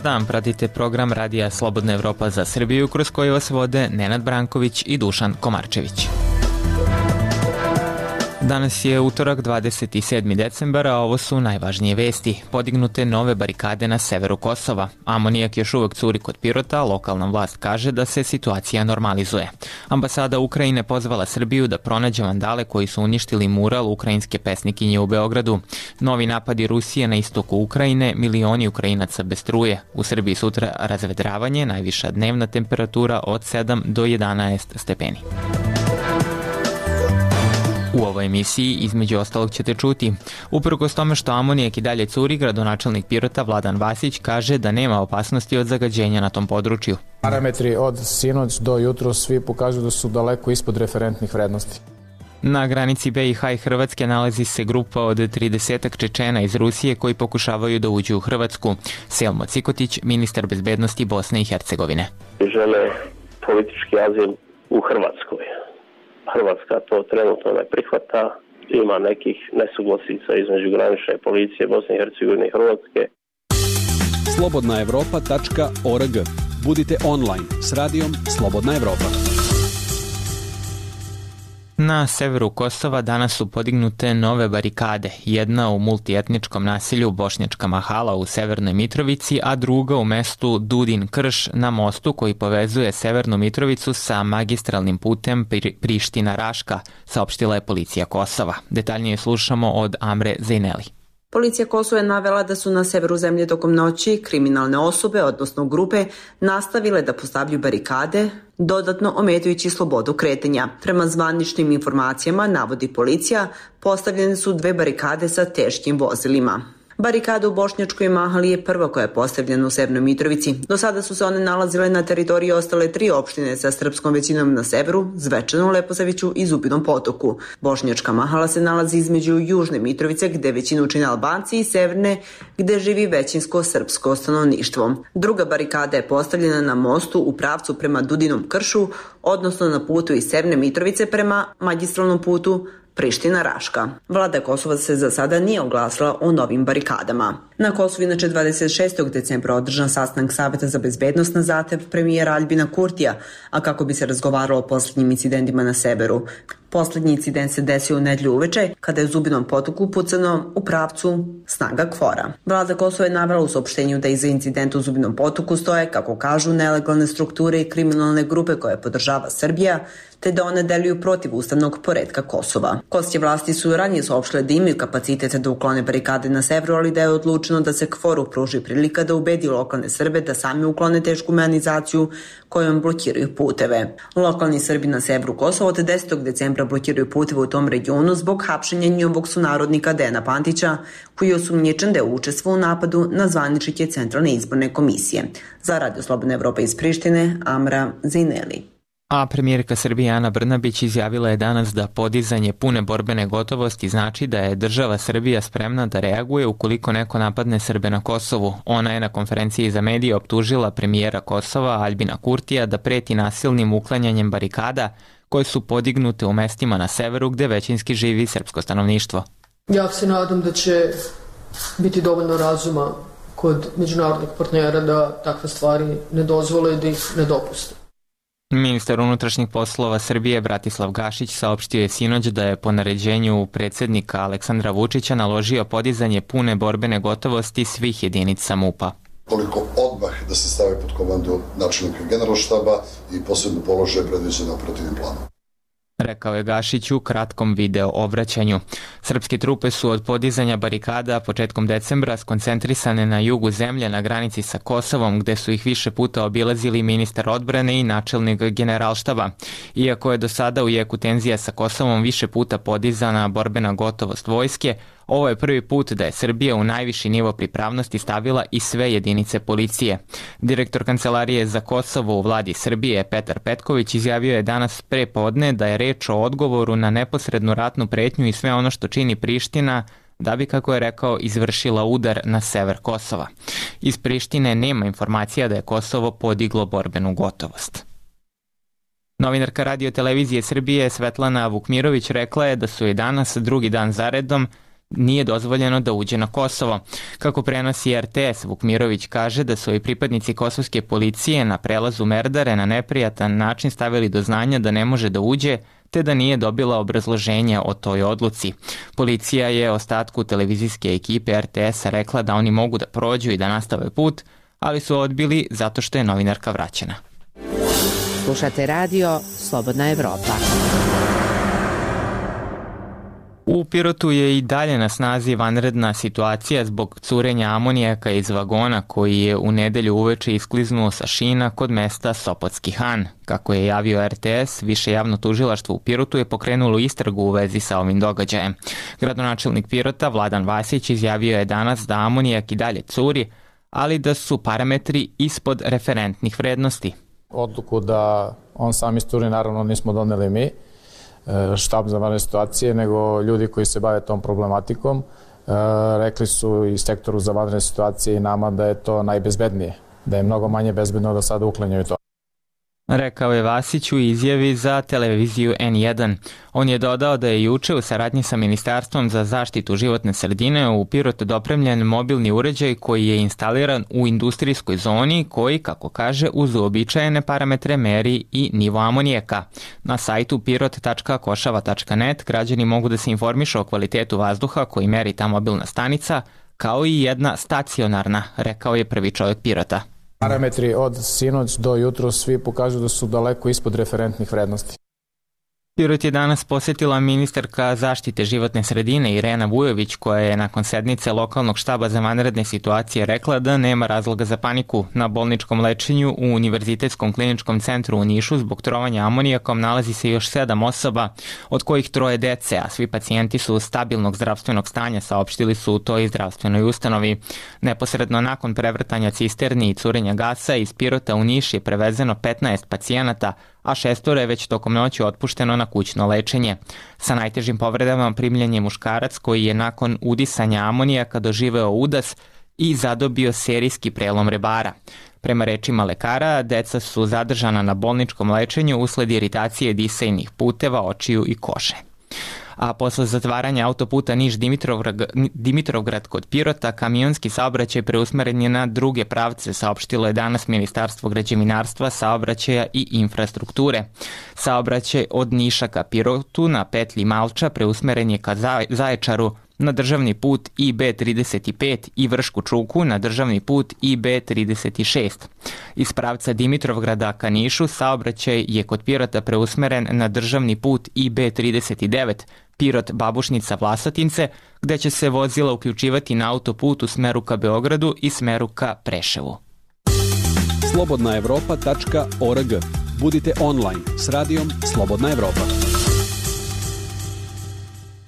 dan, pratite program Radija Slobodna Evropa za Srbiju, kroz koji vas vode Nenad Branković i Dušan Komarčević. Danas je utorak 27. decembar, a ovo su najvažnije vesti. Podignute nove barikade na severu Kosova. Amonijak još uvek curi kod Pirota, lokalna vlast kaže da se situacija normalizuje. Ambasada Ukrajine pozvala Srbiju da pronađe vandale koji su uništili mural ukrajinske pesnikinje u Beogradu. Novi napadi Rusije na istoku Ukrajine, milioni Ukrajinaca bez struje. U Srbiji sutra razvedravanje, najviša dnevna temperatura od 7 do 11 stepeni. U ovoj emisiji, između ostalog, ćete čuti. Uprkos tome što amonijak i dalje curi, gradonačelnik Pirota Vladan Vasić kaže da nema opasnosti od zagađenja na tom području. Parametri od sinoć do jutro svi pokažu da su daleko ispod referentnih vrednosti. Na granici BiH i Hrvatske nalazi se grupa od 30 Čečena iz Rusije koji pokušavaju da uđu u Hrvatsku. Selmo Cikotić, ministar bezbednosti Bosne i Hercegovine. Žele politički azil u Hrvatskoj. Hrvatska to trenutno ne prihvata, ima nekih nesuglasica između granične policije Bosne i Hercegovine i Hrvatske. slobodnaevropa.org. Budite online s radijom Slobodna Evropa. Na severu Kosova danas su podignute nove barikade, jedna u multietničkom naselju Bošnjačka Mahala u Severnoj Mitrovici, a druga u mestu Dudin Krš na mostu koji povezuje Severnu Mitrovicu sa magistralnim putem Priština-Raška, saopštila je policija Kosova. Detaljnije slušamo od Amre Zejneli. Policija Kosova je navela da su na severu zemlje tokom noći kriminalne osobe, odnosno grupe, nastavile da postavljaju barikade, dodatno ometajući slobodu kretanja. Prema zvaničnim informacijama, navodi policija, postavljene su 2 barikade sa teškim vozilima. Barikada u Bošnjačkoj Mahali je prva koja je postavljena u Severnoj Mitrovici. Do sada su se one nalazile na teritoriji ostale 3 opštine sa srpskom većinom na severu, Zvečanu, Leposaviću i Zubinom Potoku. Bošnjačka Mahala se nalazi između Južne Mitrovice, gde većinu čine Albanci, i Severne, gde živi većinsko srpsko stanovništvo. Druga barikada je postavljena na mostu u pravcu prema Dudinom Kršu, odnosno na putu iz Severne Mitrovice prema magistralnom putu Priština-Raška. Vlada Kosova se za sada nije oglasila o novim barikadama. Na Kosovu inače 26. decembra održan sastanak Saveta za bezbednost na zahtev premijera Aljbina Kurtija, a kako bi se razgovaralo o posljednjim incidentima na severu. Poslednji incident se desio u nedjelju uveče, kada je u Zubinom Potoku pucano u pravcu snaga KFOR-a. Vlada Kosova je navela u saopštenju da iza incidenta u Zubinom Potoku stoje, kako kažu, nelegalne strukture i kriminalne grupe koje podržava Srbija, te da one deluju protiv ustavnog poretka Kosova. Kosovske vlasti su ranije saopštile da imaju kapacitete da uklone barikade na severu, ali da je odlučeno da se KFOR-u pruži prilika da ubedi lokalne Srbe da sami uklone tešku mehanizaciju kojom blokiraju puteve. Lokalni Srbi na severu Kosova od 10. decembra blokiraju puteve u tom regionu zbog hapšenja njihovog sunarodnika Dejana Pantića, koji je osumnjičen da je učestvovao u napadu na zvaničnike Centralne izborne komisije. Za Radio Slobodna Evropa iz Prištine, Amra Zejneli. A premijerka Srbije Ana Brnabić izjavila je danas da podizanje pune borbene gotovosti znači da je država Srbija spremna da reaguje ukoliko neko napadne Srbe na Kosovu. Ona je na konferenciji za medije optužila premijera Kosova Aljbina Kurtija da preti nasilnim uklanjanjem barikada koje su podignute u mestima na severu gde većinski živi srpsko stanovništvo. Ja se nadam da će biti dovoljno razuma kod međunarodnih partnera da takve stvari ne dozvole i da ih ne dopuste. Ministar unutrašnjih poslova Srbije Bratislav Gašić saopštio je sinoć da je po naređenju predsjednika Aleksandra Vučića naložio podizanje pune borbene gotovosti svih jedinica MUP-a. Koliko odmah da se stave pod komandu načelnika generalštaba i posebno položaje predviđene operativnim planom. Rekao je Gašić u kratkom video obraćanju. Srpske trupe su od podizanja barikada početkom decembra skoncentrisane na jugu zemlje na granici sa Kosovom, gde su ih više puta obilazili ministar odbrane i načelnik generalštaba. Iako je do sada u jeku tenzija sa Kosovom više puta podizana borbena gotovost vojske, ovo je prvi put da je Srbija u najviši nivo pripravnosti stavila i sve jedinice policije. Direktor Kancelarije za Kosovo u vladi Srbije Petar Petković izjavio je danas pre podne da je reč o odgovoru na neposrednu ratnu pretnju i sve ono što čini Priština da bi, kako je rekao, izvršila udar na sever Kosova. Iz Prištine nema informacija da je Kosovo podiglo borbenu gotovost. Novinarka Radio televizije Srbije Svetlana Vukmirović rekla je da su i danas drugi dan zaredom nije dozvoljeno da uđe na Kosovo. Kako prenosi RTS, Vukmirović kaže da su i pripadnici kosovske policije na prelazu Merdare na neprijatan način stavili do znanja da ne može da uđe, te da nije dobila obrazloženje o toj odluci. Policija je ostatku televizijske ekipe RTS-a rekla da oni mogu da prođu i da nastave put, ali su odbili zato što je novinarka vraćena. Slušate radio Slobodna Evropa. U Pirotu je i dalje na snazi vanredna situacija zbog curenja amonijaka iz vagona koji je u nedelju uveče iskliznuo sa šina kod mesta Sopotski Han. Kako je javio RTS, Više javno tužilaštvo u Pirotu je pokrenulo istragu u vezi sa ovim događajem. Gradonačelnik Pirota Vladan Vasić izjavio je danas da amonijak i dalje curi, ali da su parametri ispod referentnih vrednosti. Odluku da on sam isturi naravno nismo doneli mi, štab za vanredne situacije, nego ljudi koji se bave tom problematikom. Rekli su i sektoru za vanredne situacije i nama da je to najbezbednije, da je mnogo manje bezbedno da sada uklanjaju to. Rekao je Vasić u izjavi za televiziju N1. On je dodao da je juče u saradnji sa Ministarstvom za zaštitu životne sredine u Pirotu dopremljen mobilni uređaj koji je instaliran u industrijskoj zoni koji, kako kaže, uz uobičajene parametre meri i nivo amonijaka. Na sajtu pirot.košava.net građani mogu da se informišu o kvalitetu vazduha koji meri ta mobilna stanica, kao i jedna stacionarna, rekao je prvi čovjek Pirota. Parametri od sinoć do jutro svi pokažu da su daleko ispod referentnih vrednosti. Pirot je danas posjetila ministarka zaštite životne sredine Irena Vujović, koja je nakon sednice lokalnog štaba za vanredne situacije rekla da nema razloga za paniku. Na bolničkom lečenju u Univerzitetskom kliničkom centru u Nišu zbog trovanja amonijakom nalazi se još 7 osoba, od kojih 3 dece, a svi pacijenti su stabilnog zdravstvenog stanja, saopštili su u toj zdravstvenoj ustanovi. Neposredno nakon prevrtanja cisterni i curenja gasa iz Pirota u Niš je prevezeno 15 pacijenata, a 6 je već tokom noći otpušteno na kućno lečenje. Sa najtežim povredama primljen je muškarac koji je nakon udisanja amonijaka doživeo udas i zadobio serijski prelom rebara. Prema rečima lekara, deca su zadržana na bolničkom lečenju usled iritacije disajnih puteva, očiju i kože. A posle zatvaranja autoputa Niš-Dimitrovgrad kod Pirota, kamionski saobraćaj preusmeren je na druge pravce, saopštilo je danas Ministarstvo građevinarstva, saobraćaja i infrastrukture. Saobraćaj od Niša ka Pirotu na petlji Malča preusmeren je ka Zaječaru na državni put IB35 i Vršku Čuku na državni put IB36. Iz pravca Dimitrovgrada ka Nišu saobraćaj je kod Pirota preusmeren na državni put IB39, Pirot Babušnica Vlasotince, gde će se vozila uključivati na autoput u smeru ka Beogradu i smeru ka Preševu. slobodnaevropa.org. Budite online s radijom Slobodna Evropa.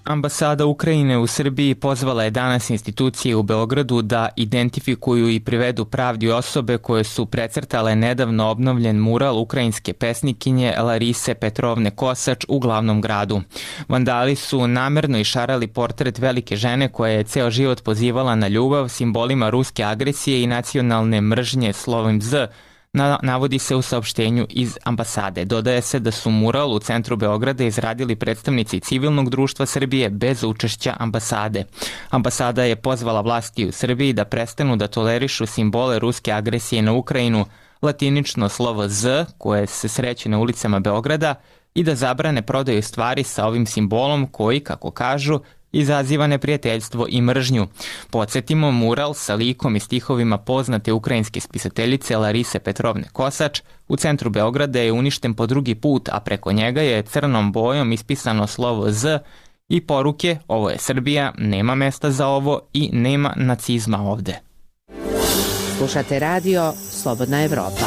Ambasada Ukrajine u Srbiji pozvala je danas institucije u Beogradu da identifikuju i privedu pravdi osobe koje su precrtale nedavno obnovljen mural ukrajinske pesnikinje Larise Petrovne Kosač u glavnom gradu. Vandali su namerno išarali portret velike žene koja je ceo život pozivala na ljubav simbolima ruske agresije i nacionalne mržnje slovim Z, navodi se u saopštenju iz ambasade. Dodaje se da su mural u centru Beograda izradili predstavnici civilnog društva Srbije bez učešća ambasade. Ambasada je pozvala vlasti u Srbiji da prestanu da tolerišu simbole ruske agresije na Ukrajinu, latinično slovo Z koje se sreće na ulicama Beograda i da zabrane prodaju stvari sa ovim simbolom koji, kako kažu, izaziva neprijateljstvo i mržnju. Podsjetimo, mural sa likom i stihovima poznate ukrajinske spisateljice Larise Petrovne Kosač u centru Beograda je uništen po drugi put, a preko njega je crnom bojom ispisano slovo Z i poruke "Ovo je Srbija, nema mesta za ovo i nema nacizma ovde". Slušate radio Slobodna Evropa.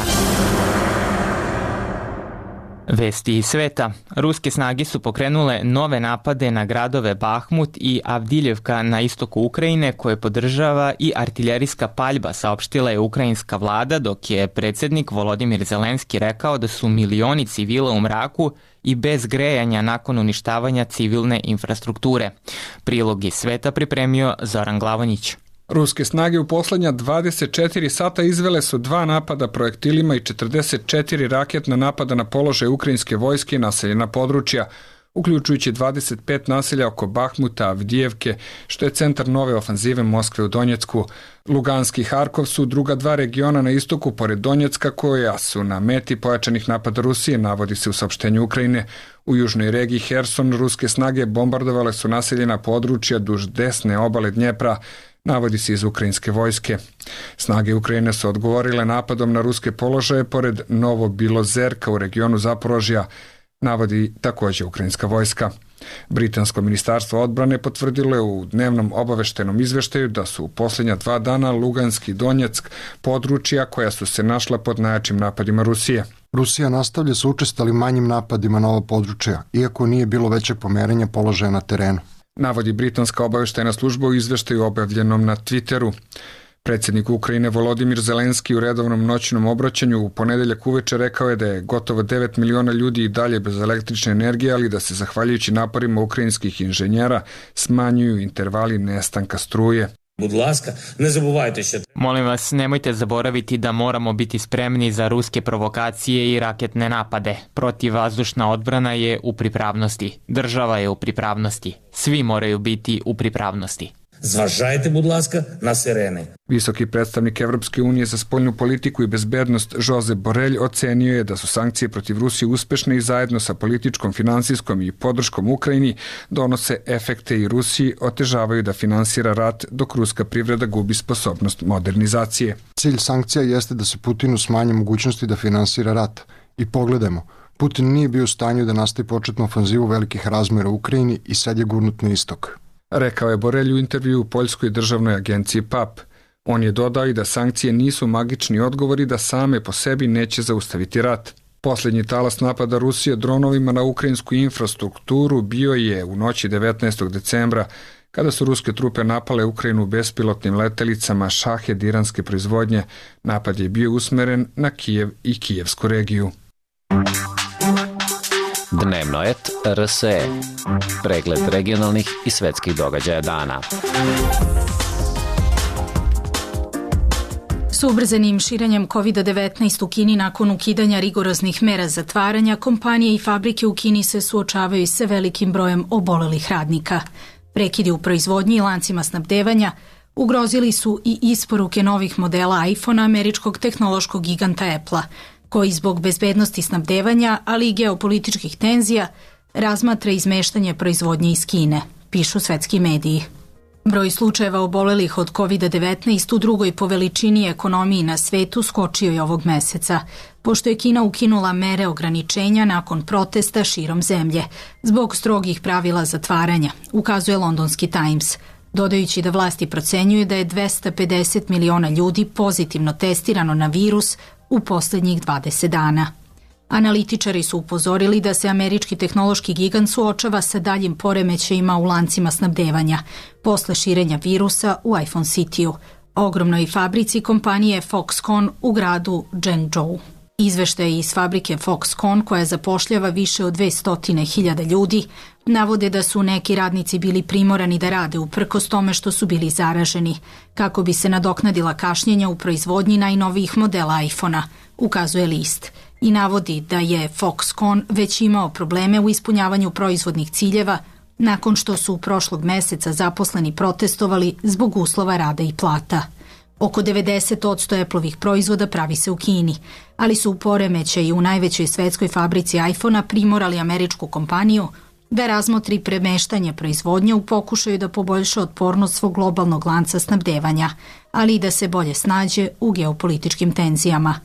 Vesti iz sveta. Ruske snage su pokrenule nove napade na gradove Bahmut i Avdiljevka na istoku Ukrajine koje podržava i artiljerijska paljba, saopštila je ukrajinska vlada, dok je predsjednik Volodimir Zelenski rekao da su milioni civila u mraku i bez grejanja nakon uništavanja civilne infrastrukture. Prilog iz sveta pripremio Zoran Glavonjić. Ruske snage u poslednja 24 sata izvele su 2 napada projektilima i 44 raketna napada na položaj ukrajinske vojske i naseljena područja. uključujući 25 naselja oko Bahmuta, Avdijevke, što je centar nove ofanzive Moskve u Donjecku. Lugansk i Harkov su druga dva regiona na istoku pored Donjecka koja su na meti pojačanih napada Rusije, navodi se u saopštenju Ukrajine. U južnoj regiji Herson ruske snage bombardovale su naseljena područja duž desne obale Dnjepra, navodi se iz ukrajinske vojske. Snage Ukrajine su odgovorile napadom na ruske položaje pored Novobilozerka u regionu Zaporožja, navodi također ukrajinska vojska. Britansko ministarstvo odbrane potvrdilo je u dnevnom obaveštenom izveštaju da su u posljednja 2 dana Lugansk i Donjeck područja koja su se našla pod najjačim napadima Rusije. Rusija nastavlja sa učestalim manjim napadima na ova područja, iako nije bilo većeg pomeranja položaja na terenu, navodi britanska obaveštajna služba u izveštaju objavljenom na Twitteru. Predsjednik Ukrajine Volodimir Zelenski u redovnom noćnom obraćanju u ponedeljak uveče rekao je da je gotovo 9 miliona ljudi i dalje bez električne energije, ali da se zahvaljujući naporima ukrajinskih inženjera smanjuju intervali nestanka struje. Molim vas, nemojte zaboraviti da moramo biti spremni za ruske provokacije i raketne napade. Protivvazdušna odbrana je u pripravnosti. Država je u pripravnosti. Svi moraju biti u pripravnosti. Зважайте, будь ласка, на сирени. Visoki predstavnik Evropske unije za spoljnu politiku i bezbednost Josep Borrell ocenio je da su sankcije protiv Rusije uspešne i zajedno sa političkom, finansijskom i podrškom Ukrajini donose efekte i Rusiji otežavaju da finansira rat dok ruska privreda gubi sposobnost modernizacije. Cilj sankcija jeste da se Putinu smanje mogućnosti da finansira rat. I pogledajmo, Putin nije bio u stanju da nastavi početnu ofanzivu velikih razmjera u Ukrajini i sad je gurnut na istok, rekao je Borrell u intervju u poljskoj državnoj agenciji PAP. On je dodao i da sankcije nisu magični odgovori da same po sebi neće zaustaviti rat. Posljednji talas napada Rusije dronovima na ukrajinsku infrastrukturu bio je u noći 19. decembra, kada su ruske trupe napale Ukrajinu bespilotnim letelicama Shahed iranske proizvodnje. Napad je bio usmeren na Kijev i Kijevsku regiju. Dnevnoet RSE. Pregled regionalnih i svetskih događaja dana. S ubrzanim širenjem COVID-19 u Kini nakon ukidanja rigoroznih mera zatvaranja, kompanije i fabrike u Kini se suočavaju sa velikim brojem obolelih radnika. Prekidi u proizvodnji i lancima snabdevanja ugrozili su i isporuke novih modela iPhone-a američkog tehnološkog giganta Apple-a, koji zbog bezbednosti snabdevanja, ali i geopolitičkih tenzija, razmatra izmeštanje proizvodnje iz Kine, pišu svetski mediji. Broj slučajeva obolelih od COVID-19 u drugoj po veličini ekonomiji na svetu skočio je ovog meseca, pošto je Kina ukinula mere ograničenja nakon protesta širom zemlje, zbog strogih pravila zatvaranja, ukazuje londonski Times, dodajući da vlasti procenjuju da je 250 miliona ljudi pozitivno testirano na virus u posljednjih 20 dana. Analitičari su upozorili da se američki tehnološki gigant suočava sa daljim poremećajima u lancima snabdevanja posle širenja virusa u iPhone City-u, ogromnoj fabrici kompanije Foxconn u gradu Zhengzhou. Izveštaji iz fabrike Foxconn, koja zapošljava više od 200.000 ljudi, navode da su neki radnici bili primorani da rade uprkos tome što su bili zaraženi, kako bi se nadoknadila kašnjenja u proizvodnji najnovijih modela iPhone-a, ukazuje list, i navodi da je Foxconn već imao probleme u ispunjavanju proizvodnih ciljeva nakon što su prošlog meseca zaposleni protestovali zbog uslova rada i plata. Oko 90% Appleovih proizvoda pravi se u Kini, ali su u poremećaju u najvećoj svetskoj fabrici iPhone-a primorali američku kompaniju da razmotri premeštanje proizvodnje u pokušaju da poboljša otpornost svog globalnog lanca snabdevanja, ali i da se bolje snađe u geopolitičkim tenzijama.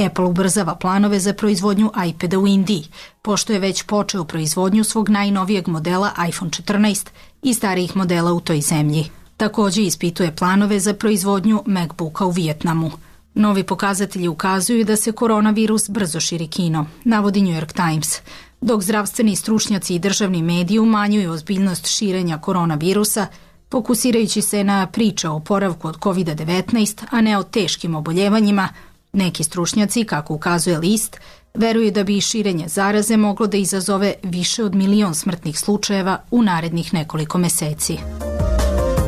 Apple ubrzava planove za proizvodnju iPada u Indiji, pošto je već počeo proizvodnju svog najnovijeg modela iPhone 14 i starijih modela u toj zemlji. Također ispituje planove za proizvodnju MacBooka u Vijetnamu. Novi pokazatelji ukazuju da se koronavirus brzo širi Kinom, navodi New York Times, dok zdravstveni stručnjaci i državni mediji umanjuju ozbiljnost širenja koronavirusa, fokusirajući se na priče o oporavku od COVID-19, a ne o teškim oboljevanjima. Neki stručnjaci, kako ukazuje list, veruju da bi širenje zaraze moglo da izazove više od 1 milion smrtnih slučajeva u narednih nekoliko meseci.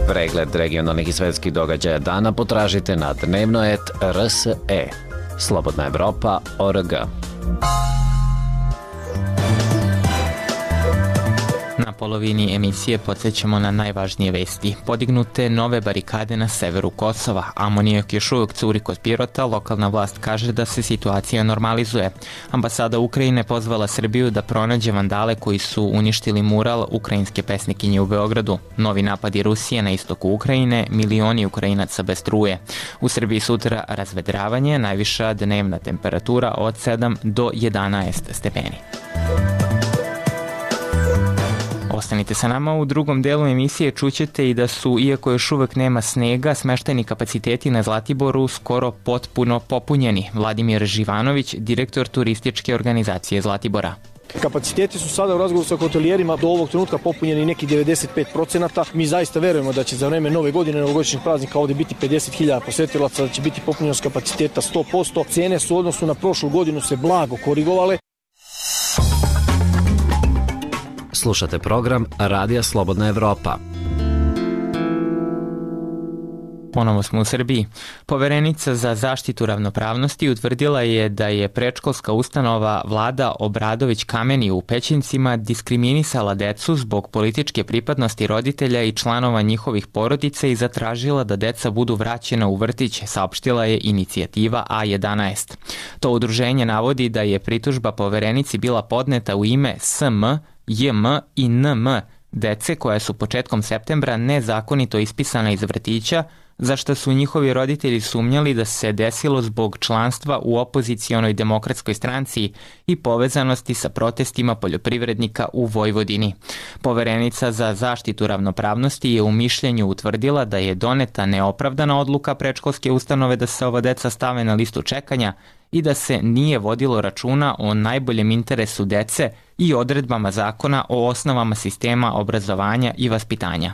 Pregled regionalnih i svetskih događaja dana potražite na Dnevnoet RSE. Slobodna Evropa.org. Na polovini emisije podsjećamo na najvažnije vesti. Podignute nove barikade na severu Kosova. Amonijak još uvijek curi kod Pirota. Lokalna vlast kaže da se situacija normalizuje. Ambasada Ukrajine pozvala Srbiju da pronađe vandale koji su uništili mural ukrajinske pesnikinje u Beogradu. Novi napadi Rusije na istoku Ukrajine, milioni Ukrajinaca bez struje. U Srbiji sutra razvedravanje, najviša dnevna temperatura od 7 do 11 stepeni. Ostanite sa nama, u drugom delu emisije čućete i da su, iako još uvek nema snega, smeštajni kapaciteti na Zlatiboru skoro potpuno popunjeni. Vladimir Živanović, direktor turističke organizacije Zlatibora. Kapaciteti su sada u razgovoru sa hotelijerima do ovog trenutka popunjeni neki 95%. Mi zaista verujemo da će za vreme nove godine, novogodišnjih praznika ovde biti 50.000 posetilaca, da će biti popunjenost kapaciteta 100%. Cene su u odnosu na prošlu godinu se blago korigovale. Slušate program Radija Slobodna Evropa. Ponovo smo u Srbiji. Poverenica za zaštitu ravnopravnosti utvrdila je da je predškolska ustanova Vlada Obradović Kameni u Pećincima diskriminisala decu zbog političke pripadnosti roditelja i članova njihovih porodica i zatražila da deca budu vraćena u vrtić, saopštila je inicijativa A11. To udruženje navodi da je pritužba poverenici bila podneta u ime SM, JM i NM dece koja su početkom septembra nezakonito ispisana iz vrtića, za što su njihovi roditelji sumnjali da se desilo zbog članstva u opozicionoj demokratskoj stranci i povezanosti sa protestima poljoprivrednika u Vojvodini. Poverenica za zaštitu ravnopravnosti je u mišljenju utvrdila da je doneta neopravdana odluka predškolske ustanove da se ova deca stave na listu čekanja i da se nije vodilo računa o najboljem interesu dece i odredbama zakona o osnovama sistema obrazovanja i vaspitanja.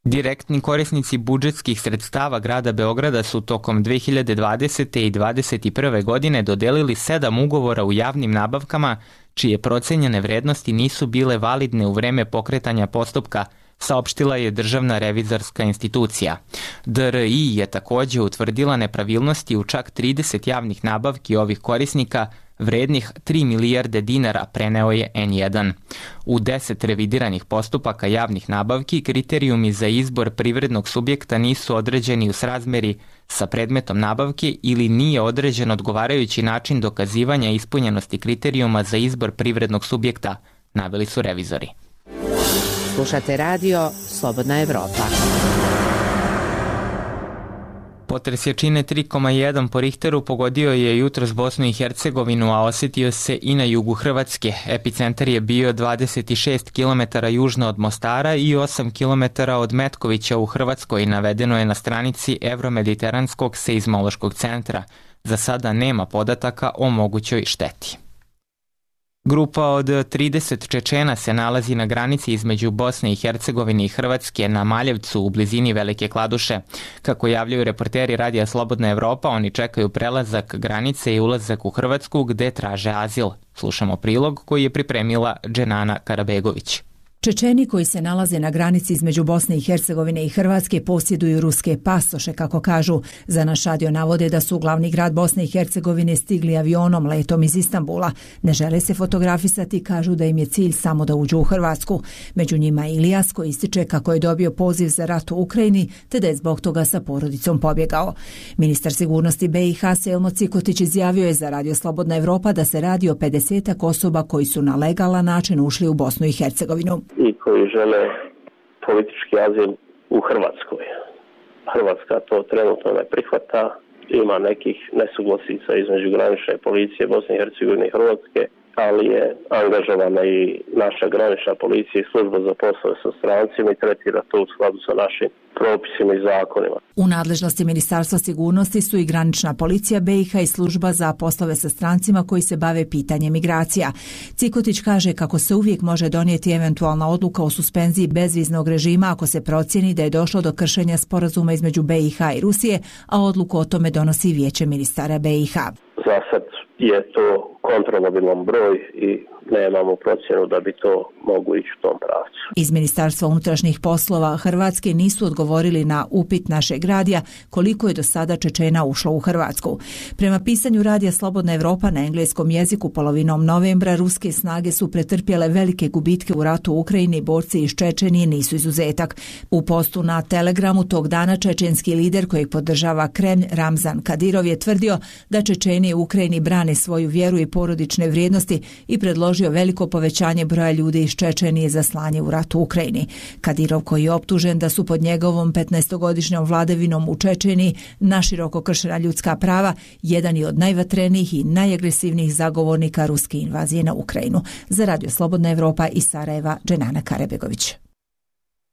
Direktni korisnici budžetskih sredstava grada Beograda su tokom 2020. i 2021. godine dodelili 7 ugovora u javnim nabavkama čije procenjene vrednosti nisu bile validne u vreme pokretanja postupka, saopštila je Državna revizorska institucija. DRI je takođe utvrdila nepravilnosti u čak 30 javnih nabavki ovih korisnika, vrednih 3 milijarde dinara, preneo je N1. U 10 revidiranih postupaka javnih nabavki kriterijumi za izbor privrednog subjekta nisu određeni u srazmeri sa predmetom nabavke ili nije određen odgovarajući način dokazivanja ispunjenosti kriterijuma za izbor privrednog subjekta, naveli su revizori. Slušate radio Slobodna Evropa. Potres jačine 3,1 po Richteru pogodio je jutros Bosnu i Hercegovinu, a osetio se i na jugu Hrvatske. Epicentar je bio 26 km južno od Mostara i 8 km od Metkovića u Hrvatskoj, navedeno je na stranici Evromediteranskog seizmološkog centra. Za sada nema podataka o mogućoj šteti. Grupa od 30 Čečena se nalazi na granici između Bosne i Hercegovine i Hrvatske na Maljevcu u blizini Velike Kladuše. Kako javljaju reporteri Radija Slobodna Evropa, oni čekaju prelazak granice i ulazak u Hrvatsku gde traže azil. Slušamo prilog koji je pripremila Dženana Karabegović. Čečeni koji se nalaze na granici između Bosne i Hercegovine i Hrvatske posjeduju ruske pasoše, kako kažu. Za naš radio navode da su u glavni grad Bosne i Hercegovine stigli avionom letom iz Istanbula. Ne žele se fotografisati i kažu da im je cilj samo da uđu u Hrvatsku. Među njima je Ilijas koji ističe kako je dobio poziv za rat u Ukrajini te da je zbog toga sa porodicom pobjegao. Ministar sigurnosti BiH Selmo Cikotić izjavio je za Radio Slobodna Evropa da se radi o 50 osoba koji su na legalan način ušli u Bosnu i Hercegovinu. I koji žele politički azil u Hrvatskoj. Hrvatska to trenutno ne prihvata. Ima nekih nesuglasica između granične policije Bosne i Hercegovine i Hrvatske, ali je angažovana i naša granična policija i služba za poslove sa strancima i tretira to u skladu sa našim propisima i zakonima. U nadležnosti Ministarstva sigurnosti su i granična policija BiH i služba za poslove sa strancima koji se bave pitanjem migracija. Cikotić kaže kako se uvijek može donijeti eventualna odluka o suspenziji bezviznog režima ako se procijeni da je došlo do kršenja sporazuma između BiH i Rusije, a odluku o tome donosi Vijeće ministara BiH. Za sad je to kontrolabilan broj i nemamo procjenu da bi to moglo ići u tom pravcu. Iz Ministarstva unutrašnjih poslova Hrvatske nisu odgovorili na upit našeg radija koliko je do sada Čečena ušlo u Hrvatsku. Prema pisanju radija Slobodna Evropa na engleskom jeziku polovinom novembra ruske snage su pretrpjele velike gubitke u ratu u Ukrajini, borci iz Čečenije nisu izuzetak. U postu na Telegramu tog dana čečenski lider kojeg podržava Kremlj Ramzan Kadirov je tvrdio da Čečeni u Ukrajini brane svoju vjeru i porodične vrijednosti i predložio veliko povećanje broja ljudi iz Čečenije za slanje u rat u Ukrajini. Kadirov, koji je optužen da su pod njegovom 15-godišnjom vladavinom u Čečeniji naširoko kršena ljudska prava, jedan je od najvatrenijih i najagresivnijih zagovornika ruske invazije na Ukrajinu. Za Radio Slobodna Evropa iz Sarajeva, Dženana Karebegović.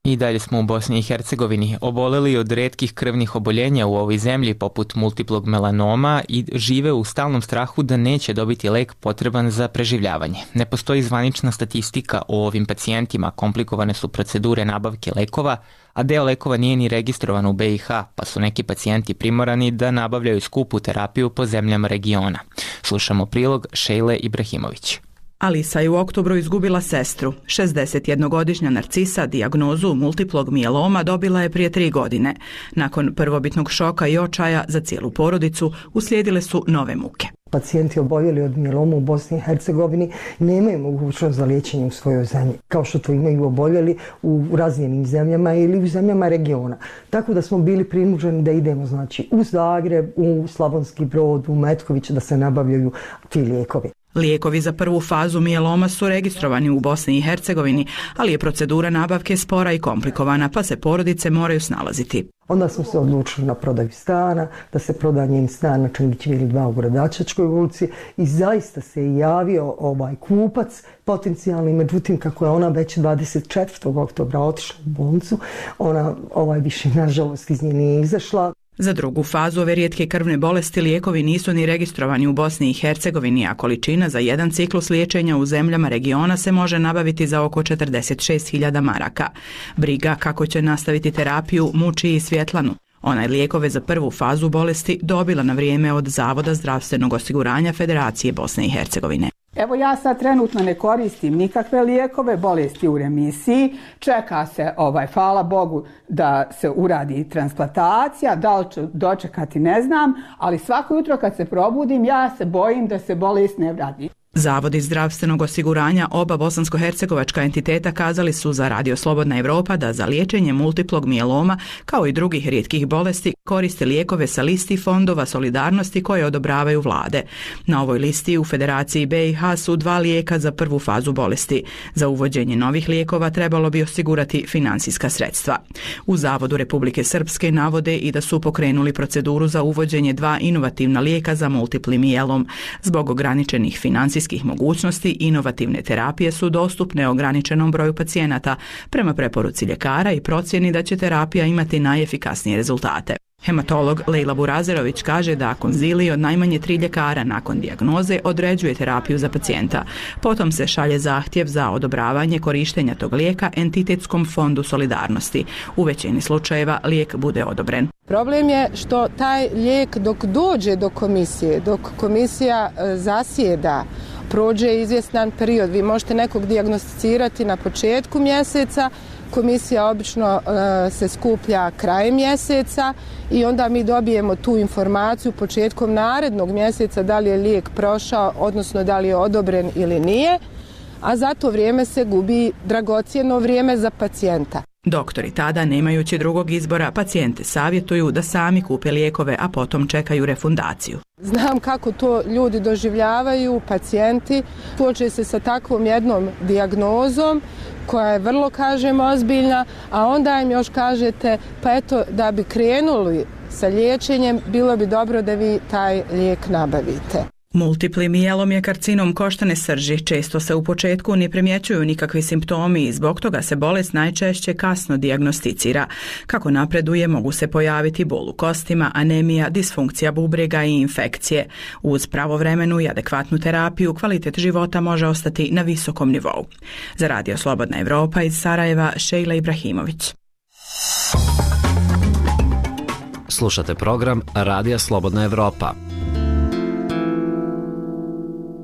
I dalje smo u Bosni i Hercegovini. Oboleli od retkih krvnih oboljenja u ovoj zemlji poput multiplog melanoma i žive u stalnom strahu da neće dobiti lek potreban za preživljavanje. Ne postoji zvanična statistika o ovim pacijentima, komplikovane su procedure nabavke lekova, a deo lekova nije ni registrovan u BiH, pa su neki pacijenti primorani da nabavljaju skupu terapiju po zemljama regiona. Slušamo prilog Šejle Ibrahimović. Alisa je u oktobru izgubila sestru. 61-godišnja Narcisa dijagnozu multiplog mijeloma dobila je prije 3 godine. Nakon prvobitnog šoka i očaja za cijelu porodicu uslijedile su nove muke. Pacijenti oboljeli od mijeloma u Bosni i Hercegovini nemaju mogućnost za liječenje u svojoj zemlji, kao što to imaju oboljeli u razvijenim zemljama ili u zemljama regiona. Tako da smo bili prinuđeni da idemo u Zagreb, u Slavonski Brod, u Metković da se nabavljaju ti lijekovi. Lijekovi za prvu fazu mijeloma su registrovani u Bosni i Hercegovini, ali je procedura nabavke spora i komplikovana, pa se porodice moraju snalaziti. Onda smo se odlučili na prodaju stana, da se proda njen stan na Čangićevili 2 u Gradačačkoj ulici i zaista se javio kupac potencijalni, međutim kako je ona već 24. oktobra otišla u bolnicu, ona više nažalost iz nje nije izašla. Za drugu fazu ove rijetke krvne bolesti lijekovi nisu ni registrovani u Bosni i Hercegovini, a količina za jedan ciklus liječenja u zemljama regiona se može nabaviti za oko 46.000 maraka. Briga kako će nastaviti terapiju muči i Svjetlanu. Ona je lijekove za prvu fazu bolesti dobila na vrijeme od Zavoda zdravstvenog osiguranja Federacije Bosne i Hercegovine. Evo ja sad trenutno ne koristim nikakve lijekove, bolesti u remisiji, čeka se, hvala Bogu, da se uradi transplantacija, da li ću dočekati ne znam, ali svako jutro kad se probudim ja se bojim da se bolest ne vrati. Zavodi zdravstvenog osiguranja oba bosansko-hercegovačka entiteta kazali su za Radio Slobodna Evropa da za liječenje multiplog mijeloma kao i drugih rijetkih bolesti koriste lijekove sa listi fondova solidarnosti koje odobravaju vlade. Na ovoj listi u Federaciji BiH su 2 lijeka za prvu fazu bolesti. Za uvođenje novih lijekova trebalo bi osigurati financijska sredstva. U Zavodu Republike Srpske navode i da su pokrenuli proceduru za uvođenje 2 inovativna lijeka za multipli mijelom. Zbog ograničenih financijskih mogućnosti, inovativne terapije su dostupne ograničenom broju pacijenata prema preporuci ljekara i procjeni da će terapija imati najefikasnije rezultate. Hematolog Lejla Burazerović kaže da konzilij od najmanje 3 ljekara nakon dijagnoze određuje terapiju za pacijenta. Potom se šalje zahtjev za odobravanje korištenja tog lijeka entitetskom fondu solidarnosti. U većini slučajeva lijek bude odobren. Problem je što taj lijek dok dođe do komisije, dok komisija zasjeda, prođe izvjestan period. Vi možete nekog dijagnosticirati na početku mjeseca, komisija obično se skuplja krajem mjeseca i onda mi dobijemo tu informaciju početkom narednog mjeseca da li je lijek prošao, odnosno da li je odobren ili nije, a za to vrijeme se gubi dragocjeno vrijeme za pacijenta. Doktori tada, nemajući drugog izbora, pacijente savjetuju da sami kupe lijekove, a potom čekaju refundaciju. Znam kako to ljudi doživljavaju, pacijenti, suoče se sa takvom jednom dijagnozom koja je vrlo, ozbiljna, a onda im još kažete, pa eto, da bi krenuli sa liječenjem, bilo bi dobro da vi taj lijek nabavite. Multipli mijelom je karcinom koštane srži. Često se u početku ne primjećuju nikakvi simptomi i zbog toga se bolest najčešće kasno dijagnosticira. Kako napreduje, mogu se pojaviti bol u kostima, anemija, disfunkcija bubrega i infekcije. Uz pravovremenu i adekvatnu terapiju kvalitet života može ostati na visokom nivou. Za Radio Slobodna Evropa iz Sarajeva, Šejla Ibrahimović. Slušate program Radija Slobodna Evropa.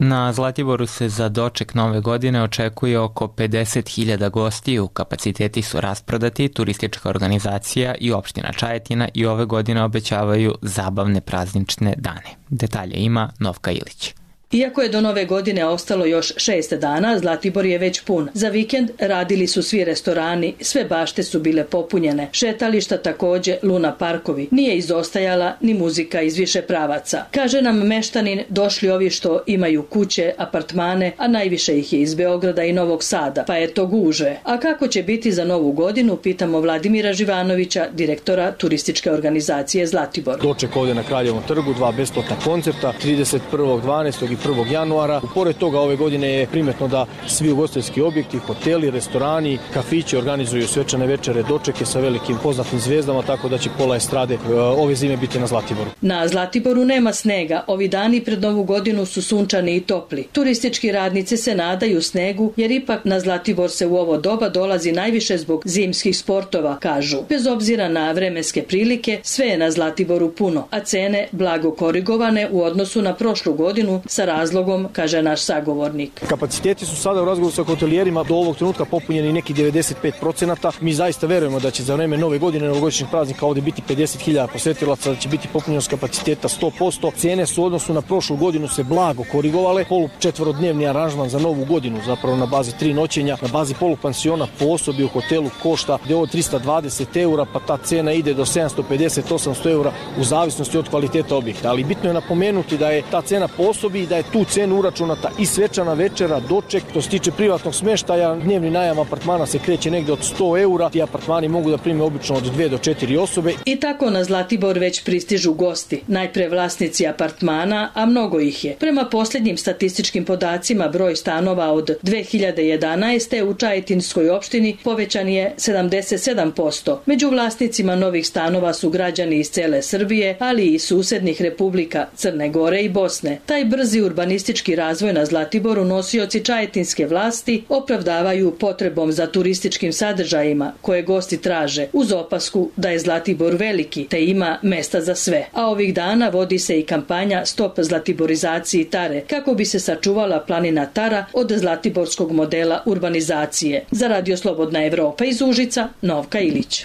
Na Zlatiboru se za doček nove godine očekuje oko 50.000 gostiju. Kapaciteti su rasprodati, turistička organizacija i opština Čajetina i ove godine obećavaju zabavne praznične dane. Detalje ima Novka Ilić. Iako je do nove godine ostalo još 6 dana, Zlatibor je već pun. Za vikend radili su svi restorani, sve bašte su bile popunjene. Šetališta takođe, luna parkovi. Nije izostajala ni muzika iz više pravaca. Kaže nam meštanin, došli ovi što imaju kuće, apartmane, a najviše ih je iz Beograda i Novog Sada, pa je to guže. A kako će biti za novu godinu, pitamo Vladimira Živanovića, direktora turističke organizacije Zlatibor. Doček ovdje na Kraljevom trgu, 2 besplatna koncerta, 31.12. i 1. januara. Pored toga ove godine je primetno da svi ugostiteljski objekti, hoteli, restorani, kafići organizuju svečane večere, dočeke sa velikim poznatim zvijezdama, tako da će pola estrade ove zime biti na Zlatiboru. Na Zlatiboru nema snega, ovi dani pred novu godinu su sunčani i topli. Turistički radnici se nadaju snegu, jer ipak na Zlatibor se u ovo doba dolazi najviše zbog zimskih sportova, kažu. Bez obzira na vremenske prilike, sve je na Zlatiboru puno, a cene blago korigovane u odnosu na prošlu godinu sa razlogom, kaže naš sagovornik. Kapaciteti su sada u razgovoru sa hotelijerima do ovog trenutka popunjeni neki 95%. Mi zaista verujemo da će za vreme nove godine, novogodišnjih praznika ovdje biti 50.000 posetilaca, da će biti popunjenost kapaciteta 100%. Cene su u odnosu na prošlu godinu se blago korigovale. Polučetvorodnevni aranžman za novu godinu, zapravo na bazi 3 noćenja, na bazi polupansiona po osobi u hotelu košta gdje ovo 320 eura, pa ta cena ide do 750-800 eura u zavisnosti od kvaliteta objekta. Ali bitno je napomenuti da je ta cena po osobi i da je tu cenu uračunata i svečana večera, doček. To se tiče privatnog smeštaja, dnevni najam apartmana se kreće negde od 100 eura. Ti apartmani mogu da prime obično od 2 do 4 osobe. I tako na Zlatibor već pristižu gosti. Najpre vlasnici apartmana, a mnogo ih je. Prema posljednjim statističkim podacima, broj stanova od 2011. u Čajetinskoj opštini povećan je 77%. Među vlasnicima novih stanova su građani iz cele Srbije, ali i susednih republika Crne Gore i Bosne. Taj brzi urbanistički razvoj na Zlatiboru nosioci čajetinske vlasti opravdavaju potrebom za turističkim sadržajima koje gosti traže, uz opasku da je Zlatibor veliki te ima mesta za sve. A ovih dana vodi se i kampanja Stop zlatiborizaciji Tare, kako bi se sačuvala planina Tara od zlatiborskog modela urbanizacije. Za Radio Slobodna Evropa iz Užica, Novka Ilić.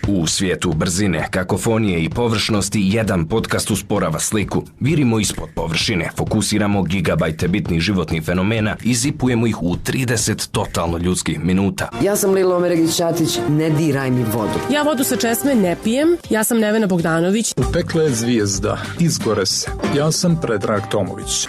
U svijetu brzine, kakofonije i površnosti jedan podcast usporava sliku. Virimo ispod površine, fokusiramo gigabajte bitnih životnih fenomena i zipujemo ih u 30 totalno ljudskih minuta. Ja sam Lila Omeregić-Ćatić, ne diraj mi vodu. Ja vodu sa česme ne pijem, ja sam Nevena Bogdanović. Utekla je zvijezda, izgore se. Ja sam Predrag Tomović.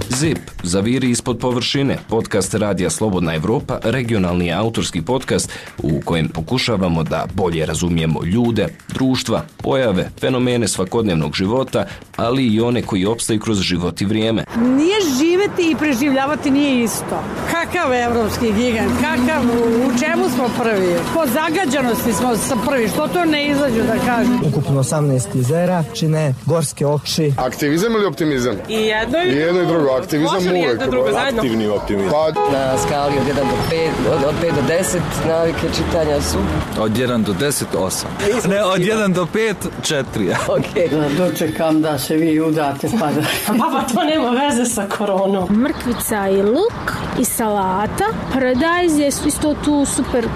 ZIP, zaviri ispod površine, podcast Radija Slobodna Evropa, regionalni autorski podcast u kojem pokušavamo da bolje razumijemo ljude, društva, pojave, fenomene svakodnevnog života, ali i one koji opstaju kroz život i vrijeme. Nije živeti i preživljavati nije isto. Kakav evropski gigant, kakav, u čemu smo prvi? Po zagađanosti smo prvi, što to ne izađu da kažem? Ukupno 18 jezera, čine gorske oči. Aktivizam ili optimizam? I jedno i drugo. Aktivizam uvek. Aktivni optimizam. Na skali od 1 do 5, od 5 do 10 navike čitanja su? Od 1 do 10, 8. Ne, od 1 do 5, 4. Ok. Dočekam da se vi udate pa da... Pa to nema veze sa koronom. Mrkvica i luk i salata. Paradajz je isto tu super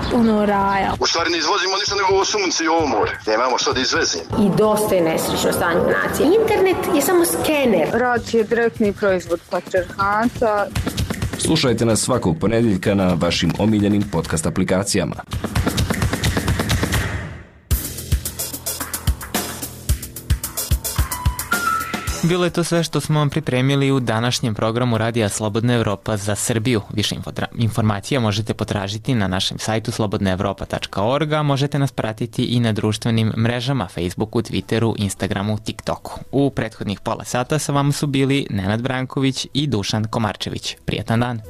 raja. U stvari ne izvozimo ništa nego ovo sunce i ovo more. Nemamo što da izvezimo. I dosta je nesrećno stanje nacije. Internet je samo skener. Rad je direktni proizvod patrijarhata. Slušajte nas svakog ponedjeljka na vašim omiljenim podcast aplikacijama. Bilo je to sve što smo vam pripremili u današnjem programu Radija Slobodna Evropa za Srbiju. Više informacija možete potražiti na našem sajtu slobodnaevropa.org, a možete nas pratiti i na društvenim mrežama Facebooku, Twitteru, Instagramu, TikToku. U prethodnih pola sata sa vama su bili Nenad Branković i Dušan Komarčević. Prijetan dan!